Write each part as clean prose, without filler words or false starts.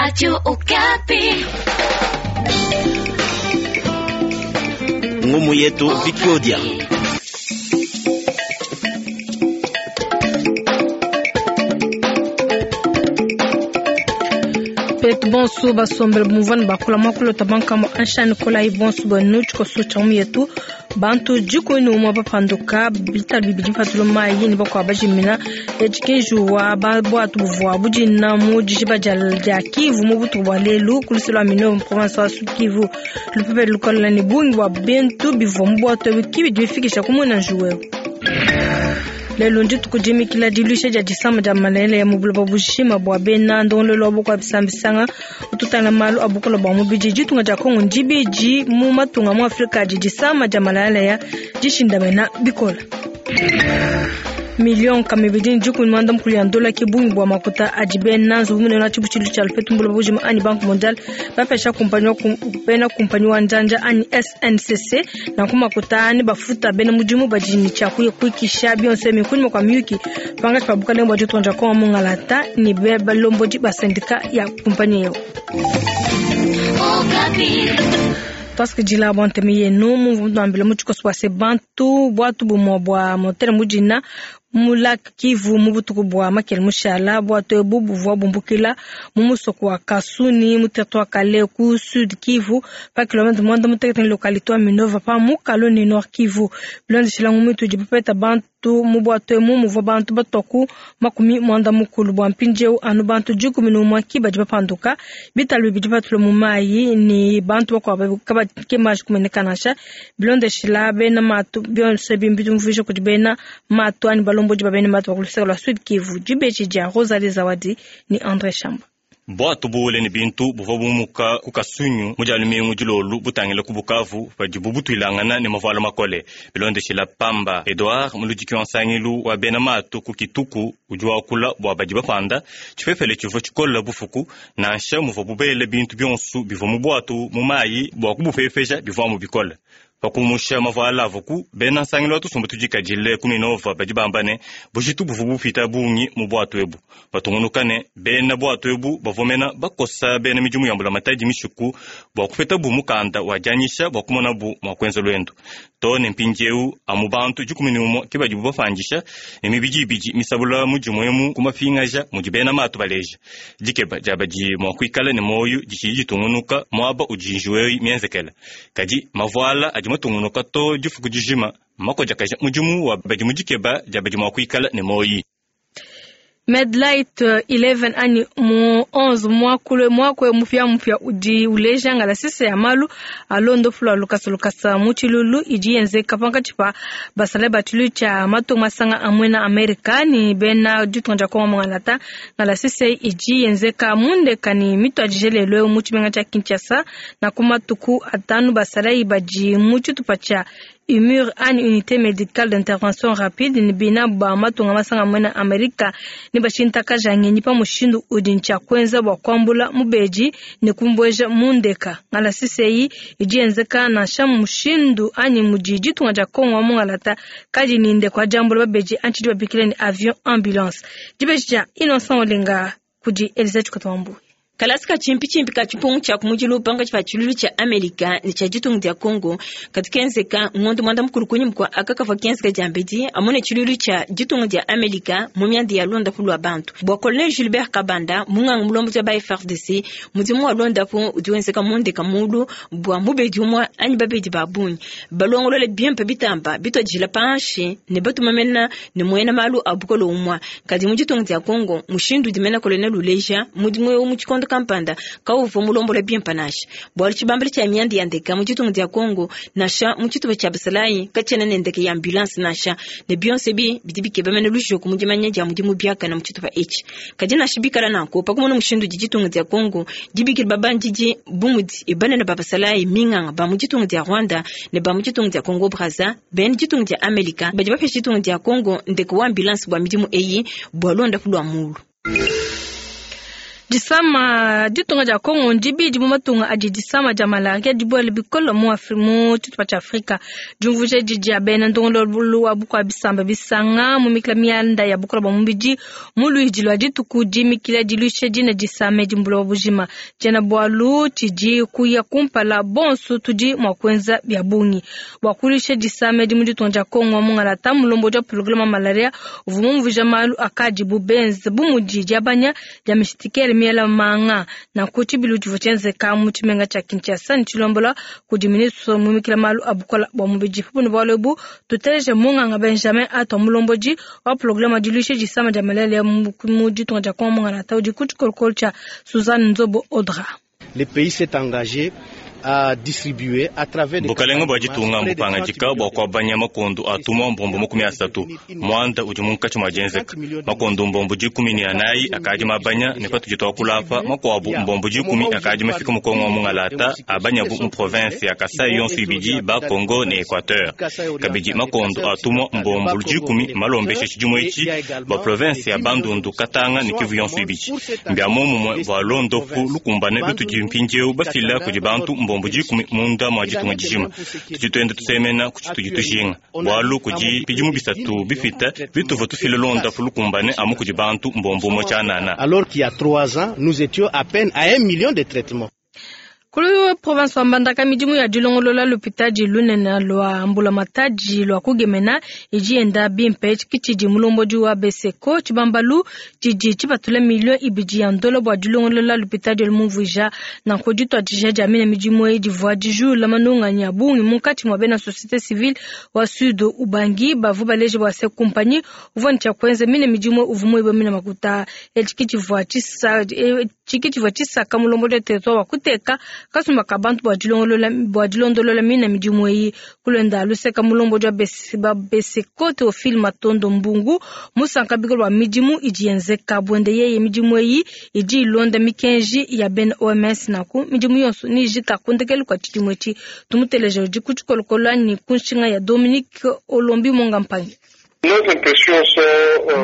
Radio Okapi. Ngumu yetu Vikiodia. Petu bonso basombele bumvua bakula mwakulota bankamo anshani kolayi bonso bwenu tshikoso tsha mu yetu bantu dikumi umue bapanduka bitalu bibidi mpatulu mayi ne bakuabu bajimina etshikinjuwa bwatu buvua budina mu dijiba dia Kivu mu butuku bua lelu ku luseke lua Minova province wa Sud Kivu. Lupepele lukola ne bungi bua bintu bivua mu bwatu ebu ki bidi bifikisha ku muena njuwewu. Lelu ndituku dimikila diluisha dia disama dia malele mu buloba bujima bua bena ndongoluelu wa bukua bisambisanga ututangila malu a bukole bua mubidi. Ditunga dia Kongo ndibidi mu matunga mu Afrika adi disama dia malele dishindamena bikole. Million kamibidi ne dikumi muanda mukulu ya ndola ke bungi bua makuta adi bena nzubu munene wa tshibutshilu tshia lupetu mu buloba bujima anyi Banque mondiale bapesha kumpanyi wa bena kumpanyi wa njanja anyi SNCC. Nanku makuta ani bafuta bena mudimu badi ne tshia kuikisha bionso ebi kunyima kua miyuki pankatshi pa bukalenge bua ditunga dia Kongo mungalata ne balombodi ba sendika ya kumpanyi eu. Tuasikidila bua ntema yenu mumvua mutuambila mu tshikoso bua se bantu bwatu bumue bua motere mudina mu lac Kivu mu butuku bua makele mushala. Bwatu ebu buvua bumbukila mu musoko wa Kasuni mu territoire Kale ku Sud Kivu pa kilomètre muanda mutekete ne localité wa Minova pa mukalu ne Nord Kivu. Bilondeshila ngumu itudi bapeta bantu mu bwatu emu muvua bantu batua ku makumi muanda mukulu. Bua mpindieu anu bantu 11 ki badi bapanduka, bitalu bibidi batula mu mayi ne bantu bakuabu kabakemaji kumeneka nansha. Bilondeshila bena matu bionso ebi mbiumvuija kudi bena matu anyi balombodi ba bena matu ba ku luseke lua Sud Kivu. Dibeji dia Rosalie Zawadi ne Andre Shamba. Bwatu buwule ne bintu buvua bumuka ku Kasunyu mu dia lumingu dilolu butangila ku Bukavu padibu butuilangana ne mavuala makole. Bilondeshila Pamba Edouard, muludiki wa nsangilu wa bena matu ku Kituku, udi wakula bua badi bapanda tshipepele tshivua tshikola bufuku nansha muvua bubele bintu bionso bivua mu bwatu mu mayi bua kubupepesha bivuamu bikole. Pakumusha mavuala avuku bena nsangilu wa tusumbu tudikadile ku Minova badi bamba ne bujitu buvua bupita bungi mu bwatu ebu. Batungunuka ne bena bwatu ebu bavua bakosa bena midimu ya mbulamatadi mishiku bua kupeta bu mukanda wa dianyisha bua kumona bu mua kuenza luendu. To ne mpindieu amu bantu 11 ke badibu bapandisha ne mibidi ibidi misabula mudimu emu ku mapingaja mudi bena matu baleja. Dikeba dia badi mua kuikala ne moyo ditshidi ditungunuka muaba udi njiwu mienzekela. Kadi mavuala adi matungunuka to difuku dijima makojakaja mudimu wa badi mu dikeba dia badi mua kuikala ne moyi. Medlight 11 anyi mu 11 mwakule mwakwe mupya mupya udi uleja ngala sise ya malu alondo fulwa lukasa lukasa mu tshilulu idi yenzeka pankatshi pa basale ba tshilu tsha matunga masanga amwe na Amerika ni bena ditunga dia Kongo mungalata. Ngala sise idi yenzeka mundeka ni mituadije lelo mu tshimenga tsha Kinshasa na ku matuku atanu basale badi mu tshitupa tsha UMUR anyi unité médicale d'intervention rapide ni bina ba matunga masanga amwe na Amerika ni bashintakaja ngenyi pa mushindu udi ntshia kuenza bua kuambula mubedi ne kumbueja mundeka. Ngala sise idi yenzeka nansha mushindu anyi mudi ditunga dia Kongo mungalata kadi ninde kwa diambula babedi antshidi babikile ni avion ambulance. Dibeji dia Innocent Olenga kudi Elisa Chikotwambu. Kalasi ka chimpi-chimpi ka chipungu cha kumujilu panga chipa chilulu cha Amerika ni cha ditunga dia Kongo katikenzeka ngondo mwanda mukulu kunyi mkwa akakafa kenzeka jambedi amone chilulu cha ditunga dia Amerika mu myanda ya Londa kulwa bantu. Bwa Colonel Gilbert Kabanda munganga mulombo ja ba FARDC mudimu wa Londa po udiwenzeka monde kamulu bwa mubedi umwa anyi babedi babunyi balongolole bien pe bitamba bitwajila panshi ne batumamena ne mwena malu abukolo umwa kadi mu ditunga dia Kongo mushindu dimena Colonel Uleja mudimu mu chikondo kampanda kauvo mulombola bien panasha bwali chibambala cha myanda ya ndeka mu ditunga dia Kongo nasha mu chituba cha basalayi kachena ne ndeke ya ambulance nasha ne bionse bi bidi bikeba mene lujoku mu dimanya dia mudimu biakana mu chituba echi kadi nasha bikala nanko pakumona mushindu di ditunga dia Kongo dibikila babandidi bumudi ibanene ba basalayi minganga ba mu ditunga dia Rwanda ne ba mu ditunga dia Kongo Brazza ben ditunga dia Amerika badi bapesha ditunga dia Kongo ndeke wa ambulance bwa midimu eyi bwa londa kulwa mulu. Disama ditunga dia Kongo ndibidi mu matunga adi disama dia malaria dibuele bikole mu mu tshitupa tshia Afrika. Diumvuija edi dia bena ndongoluelu wa bukua bisamba bisanga mu mikila mianda ya bukole bua mubidi mu luidi lua dituku dimikila diluisha dina disama edi mu buloba bujima. Tshiena bualu tshidi kuya kumpala bonso tudi mua kuenza bia bungi bua kuluisha disama edi mu ditunga dia Kongo. Mungalata mulombodi wa programe wa malaria uvua mumvuija malu akadibu benze bu mudi diabanya dia mishitikele miela manga. Nanku tshibilu tshivua tshienzeka mu tshimenga tshia Kinshasa ne tshilombola kudi ministre muimikila malu a bukole bua mubidi. Pabune bualu ebu tuteleje munganga Benjamin Atwa mulombodi wa programe wa diluisha disama dia malaria mu ditunga dia Kongo mungalata udi ku tshikolokolo tshia Suzanne Nzobo Audra. Le pays s'est engagé à distribuer à travers des Bukalenga bua ditunga mbupangadika bua kuabanya makondo atuma mbombo 30 muanda udi munkatshi mua dienzeka makondo mbombo 14 akadi mabanya ne patudi tuakula apa makuabu mbombo 10 akadi mafika mu Kongo wa mungalata abanyabu mu province ya Kasai yonso ibidi ba Kongo ne Equateur kabidi makondo atuma mbombo 10 malombesha tshidimu etshi bua province ya Bandundu Katanga ne Kivu yonso ibidi mbia momumue bua londopu lukumbane lutudi mpindieu bafila kudi bantu mbombo 10 munda mwa ditunga dijima tudi tuenda tusemena ku tshitudi tujinga bualu kudi bidimu 3 bipita bituva tufila londapu lukumbane amu kudi bantu mbombo umue tshianana. Alors qu'il y a 3 ans, nous étions à peine à 1 million de traitements. Kulu province wa Mbandaka midimu ya dilongolola lupitadi lunene lwa mbulamatadi lwa kugemena idi yenda bimpe tshidi mulombodi wa Beseko tshibambalu tshidi tshipatula milio ibidi ya ndola bua dilongolola lupitadi lumumvuija nanku dituadija dia mine midimu eyi divua dijula manunganyi a bungi munkatshi mua bena société civile wa Sud Ubangi bavua baleje bua se kumpanyi uvua ne tshia kuenza mine midimu uvua muiba mine makuta etshi tshivua tshisaka mulombodi wa territoire wa kuteka kasumba ka bantu bua dilondolola mine midimu eyi kulenda luseka mulombodi wa Beseko Théophile Matondo Mbungu musanka bikolo bua midimu idi yenzeka buende yeye midimu eyi idi ilonda mikenji ya bena OMS naku midimu yonso nijika kundekelu kwa tshidimu etshi tumuteleje udi ku tshikolokolo ni ku nshinga ya Dominique Olombi Monga Mpangi.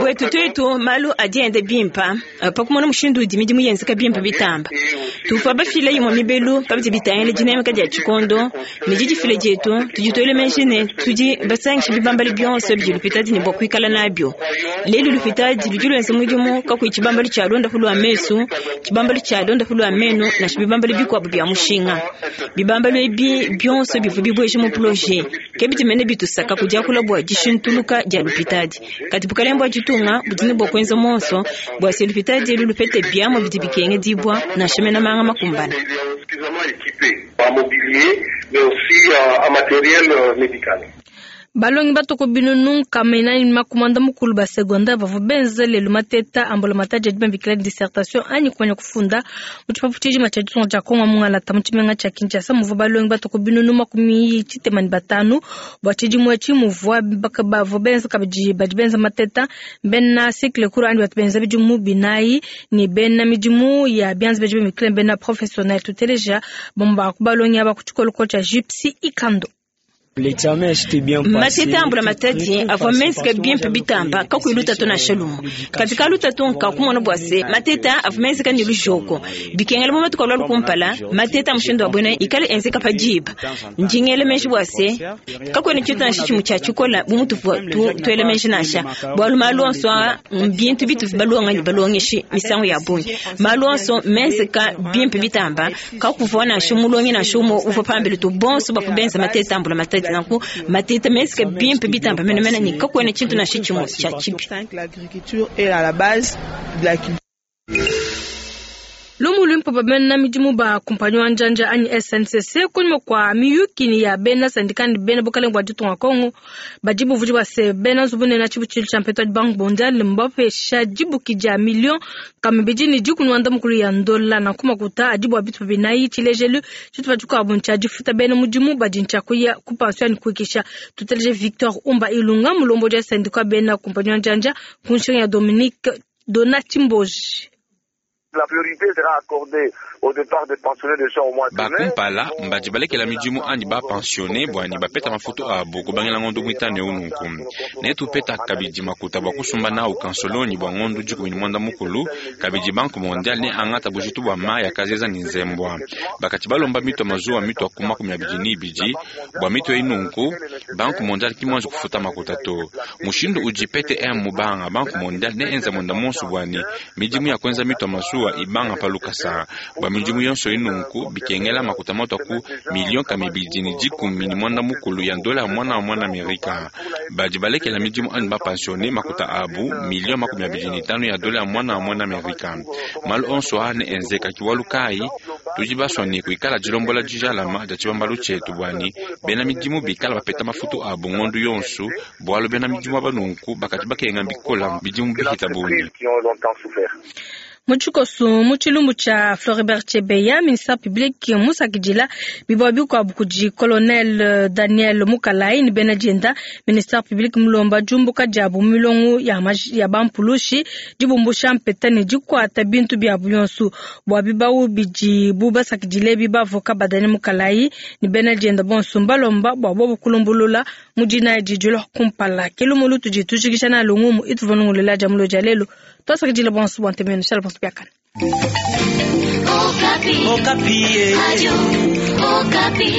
Bwetu twetu malu adi enda bimpa pakumona mushindu udi midimu yenzeka bimpa bitamba tuvua bafile imue mibelu pabidi bitangila dinamika dia tshikondo ne didifile dietu tudi tuele meji ne tudi basangisha bibambalu bionso bidi lupitadi ne bua kuikala nabio lelu lupitadi ludi luenza mudimu kakuyi tshibambalu tshia londapu lua mesu tshibambalu tshia londapu lua menu nansha bibambalu bikuabu bia mushinga bibambalu ebi bionso bivua bibueja mu projet ke bidi mene bitusaka kudiakula bua dishintuluka dia lupitadi kati bukalenga bua ditunga budi ne bua kuenza monso bua se lupitadi elu lupete biamua bidi bikenge dibua nansha mena manga makumbana. Balongi batoko binunu kamena ni makumanda mukulu ba secondaire bavua benza lelu mateta ambula matadi adi bambikila dissertation anyi kumanya kufunda mu tshipapu tshijima tshia ditunga dia Kongo mungalata mu tshimenga tshia Kinshasa muvua balongi batoko binunu 65 bua tshidimu etshi muvua bavua benza kabidi badi benza mateta bena cycle court anyi batu benza bidimu 4 ni bena midimu ya bianza badi bambikila bena professionnel tuteleja bomba ku balongi aba ku tshikolokolo tshia Gypsy Ikando. Mateta ambula matadi avua menzeka bimpe bitamba kakuyi lutatu nansha lumue kati ka lutatu nkakumona bua se mateta avua menzeka ne lujoko bikengela mu matuku alua lukumpala mateta mushindu wa buena ikale enzeka pa diba ndingele meji bua se kakuena tshintu nansha tshimue tshia tshikola bu mutuvua tuele meji nansha bualu malu onso aa mbintu bituvi balonga ne balongeshi misangu ya bungi malu onso menzeka bimpe bitamba kakuvua nansha mulongi nansha umue uvua pambelu tu bonso bavua benza mateta ambula matadi nanku mateta menzeka bimpe bitamba menemene ni kakuena tshintu nansha tshimue tshia tshibi. Lumu luimpe bamena midimu ba kumpanyi wa njanja anyi SNCC kunyuma kwa miyuki ya bena sindika ne bena bukalenga bua ditunga Kongo badi buvudi bua se bena nzubu nena tshibutshilu tshia mpetu Banque Mondiale mbapesha dibuki dia million kama bidi ne 100 mukulu ya ndola na kumakuta adi bua bitupa binayi tshilejelu tshitupa tshikuabu ntshia difuta bena mudimu badi ntshia kuya ku pension ni kuikisha tuteleje Victor Umba Ilunga mulombodi wa sindika bena kumpanyi wa njanja ku nshinga ya Dominique Donat Mboji. Ba kumpala mbadi balekela midimu anyi ba pensionne bua ne bapeta mafutu abu kubangila ngondo muitanu eu nunku. Netupeta kabidi makuta bua kusumba nawu kansolonyi bua ngondo 18, kabidi Banque mondiale neangata bujitu bua mayi a kazeza ne nzembua. Bakadi balomba mitu ya mazuwa mitua ku 22 bua mitu eyi nunku, Banque mondiale ki muanji kufuta makuta to. Mushindu udi PTM mubanga, Banque mondiale neenza muenda monso bua ne midimu ya kuenza mitu ya mazuwa ibanga pa lukasa. Bua midimu yonso eyi nunku, bikengela makuta matua ku miliyo 213 ya ndola ya muana wa muana Amerika. Badi balekela midimu anyi ba pensionne makuta abu miliyo 25 ya dola ya muana wa muana Amerika. Malu onso aa neenzeka ki bualu kayi tudi basua ne kuikala dilombola dijalama dia tshibambalu tshietu bua ne bena midimu bikala bapeta mafutu abu ngondu yonso, bualu bena midimu aba nunku bakadi bakenga bikola bidimu bihita bungi. Mu tshikoso, mu tshilumbu tshia Floribert Chebeya, ministère public musakidila bibawu bikuabu kudi colonel Daniel Mukalayi ne bena dienda. Ministère public mulomba diumbuka diabu mu milongo ya, ya bampulushi, dibumbusha mpeta ne dikuata bintu biabu bionso. Bua bibawu bidibu basakidile ebi, bavoka ba Daniel Mukalayi ne bena dienda bonso mbalomba bua bobu kulumbulula mu dinaya didi dilua kumpala. Ke lumu lutudi tujikija nalu ngumu ituvua nungulela dia mulo dia lelu. Tuasakidila bonso bua ntema yenu. Shala bonso biakane. Okapi. Okapi. Radio Okapi.